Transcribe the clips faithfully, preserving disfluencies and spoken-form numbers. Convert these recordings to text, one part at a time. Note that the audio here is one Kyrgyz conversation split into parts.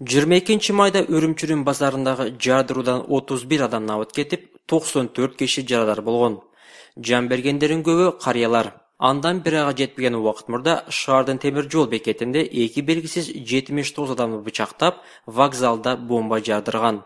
жыйырма экинчи майда Үрүмчүнүн базарындагы жардыруудан отуз бир адам набыт кетип, токсон төрт киши жарадар болгон. Жан бергендердин көбү карыялар. Андан бир айга жетпеген убакыт мурда шаардын темир жол бекетинде эки белгисиз жетимиш тогуз адамды бычактап, вокзалда бомба жардырган.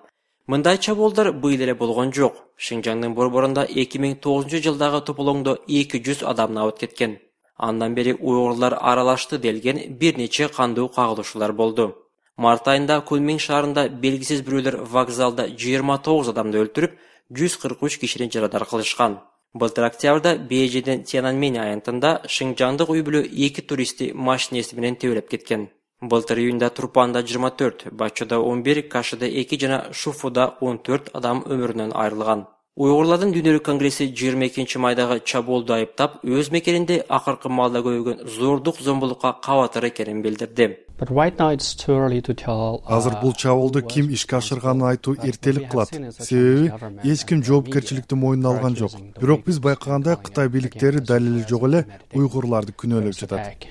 Мындай чабуулдар быйыл эле болгон жок. Шинжаңдын борборунда эки миң тогузунчу жылдагы тополоңдо эки жүз адам набыт кеткен. Андан бери уйгурлар аралашты делген бир нече кандуу кагылышуулар болду. Март айында Кунмин шаарында белгисиз бирөөлөр вокзалда жыйырма тогуз адамды өлтүрүп, жүз кырк үч кишини жарадар кылышкан. Былтыр октябрда Бейжиңдин Тяньаньмэнь аянтында шинжаңдык үй бүлө эки туристти машинеси менен тебелеп кеткен. Былтыр июнда Турпанда жыйырма төрт, Бачода он бир, Кашыда эки жана Шуфуда он төрт адам өмүрүнөн айрылган. Уйгурлардын дүйнөлүк конгресси жыйырма экинчи майдагы чабуулду айыптап, өз мекенинде акыркы маалда көбөйгөн зордук зомбулукка кабатыр экенин билдирди. Азыр бул чабуулду ким ишке ашырганын айтуу эртелик кылат. Себеби эч ким жоопкерчиликти мойнуна алган жок. Бирок биз байкагандай Кытай бийликтери далили жок эле уйгурларды күнөөлөп жатат.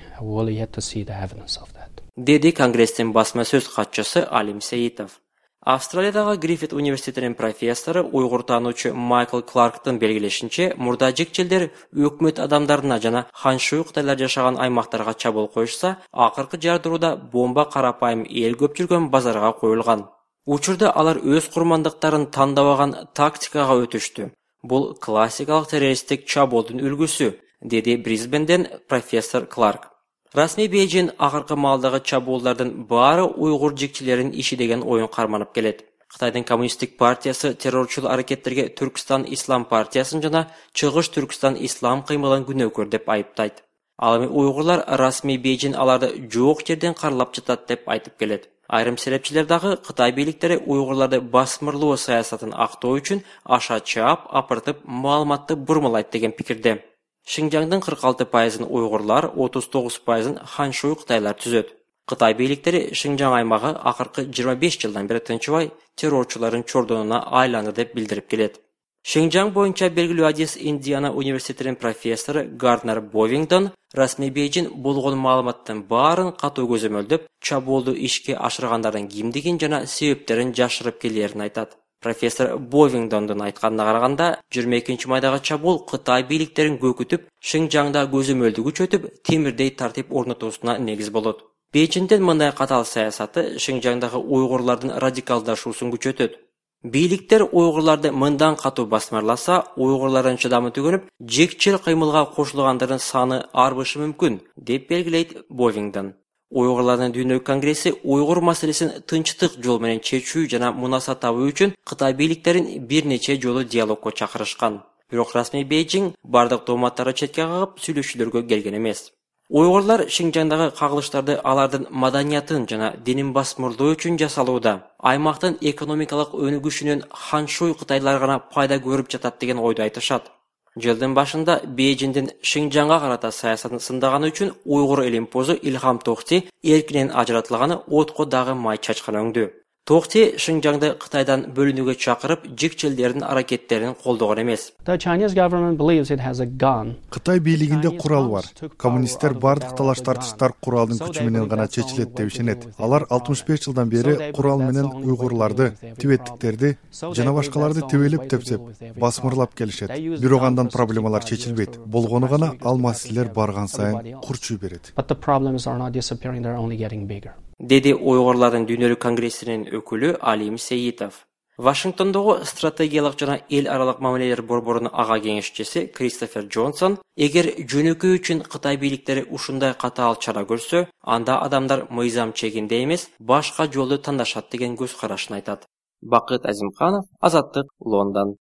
Деди Конгресстин басма сөз катчысы Алим Сейитов. Австралиядагы Гриффит университетинин профессору, уйгур таануучу Майкл Кларктын белгилешинче, мурда жекчелдер өкмөт адамдарына жана ханшуй кытайлар жашаган аймактарга чабуул коюшса, акыркы жардырууда бомба карапайым эл көп жүргөн базарга коюлган. Учурда алар өз курмандыктарын тандабаган тактикага өтүштү. Бул классикалык террористтик чабуулдун үлгүсү, деди Брисбенден профессор Кларк. Расмий Бейжиң акыркы маалдагы чабуулдардын баары уйгур жекчелеринин иши деген оюн карманып келет. Кытайдын коммунисттик партиясы террорчул аракеттерге Түркстан Ислам партиясын жана Чыгыш Түркстан Ислам кыймылын күнөөкөр деп айыптайт. Ал эми уйгурлар расмий Бейжиң аларды жок жерден каралап жатат деп айтып келет. Айрым серепчилер дагы Кытай бийликтери уйгурларды басмырлоо саясатын актоо үчүн аша чаап, апыртып, маалыматты бурмалайт деген пикирде. Шинжаңдын кырк алты пайызын уйгурлар, отуз тогуз пайызын ханшуй кытайлар түзөт. Кытай бийликтери Шинжаң аймагы акыркы жыйырма беш жылдан бери тынчыбай террорчулардын чордонуна айланды деп билдирип келет. Шинжаң боюнча белгилүү адис Индиана университетинин профессору Гарднер Бовингдон расмий Бейжиң болгон маалыматтын баарын катуу көзөмөлдөп, чабуулду ишке ашыргандардын кимдигин жана себептерин жашырып келерин айтат. Профессор Бовингдондун айтканына караганда, жыйырма экинчи майдагы чабуул Кытай бийликтерин көкүтүп, Шинжаңда көзөмөлдү күчөтүп, темирдей тартип орнотуусуна негиз болот. Бейжиңдин мындай катаал саясаты Шинжаңдагы уйгурлардын радикалдашуусун күчөтөт. Бийликтер уйгурларды мындан катуу басмырласа, уйгурлардын чыдамы түгөнүп, жекчел кыймылга кошулгандардын саны арбышы мүмкүн, деп белгилейт Бовингдон. Уйгурлардын дүйнөлүк конгресси уйгур маселесин тынчтык жол менен чечүү жана мунаса табуу үчүн Кытай бийликтерин бир нече жолу диалогко чакырышкан. Бирок расмий Бейжиң бардык дооматтарды четке кагып сүйлөшүүлөргө келген эмес. Уйгурлар Шинжаңдагы кагылыштарды алардын маданиятын жана динин басмырлоо үчүн жасалууда. Аймактын экономикалык өнүгүшүнөн ханшуй кытайлар гана пайда көрүп жатат деген ойду айтышат. Жылдын башында Бейжиңдин Шинжаңга карата саясатын сындаганы үчүн уйгур элимпозу Илхам Тохти эркинен ажыратылганы отко дагы май чачкан өңдү. Тохти Шинжаңды Кытайдан бөлүнүүгө чакырып, жекчелдердин аракеттерин колдогон эмес. Кытай бийлигинде курал бар. Коммунисттер бардык талаш тартыштар куралдын күчү менен гана чечилет деп ишенет. Алар алтымыш беш жылдан бери курал менен уйгурларды, тибеттиктерди жана башкаларды тебелеп тепсеп, басмырлап келишет. Бирок андан проблемалар чечилбейт. Болгону гана ал маселелер барган сайын курчуй берет. Деди уйгурлардын дүйнөлүк конгрессинин өкүлү Алим Сейитов. Вашингтондогу стратегиялык жана эл аралык мамилелер борборунун ага кеңешчиси Кристофер Джонсон, эгер жөнөкөй үчүн Кытай бийликтери ушундай катаал чара көрсө, анда адамдар мыйзам чегинде эмес, башка жолду тандашат деген көз карашын айтат. Бакыт Азимканов, Азаттык, Лондон.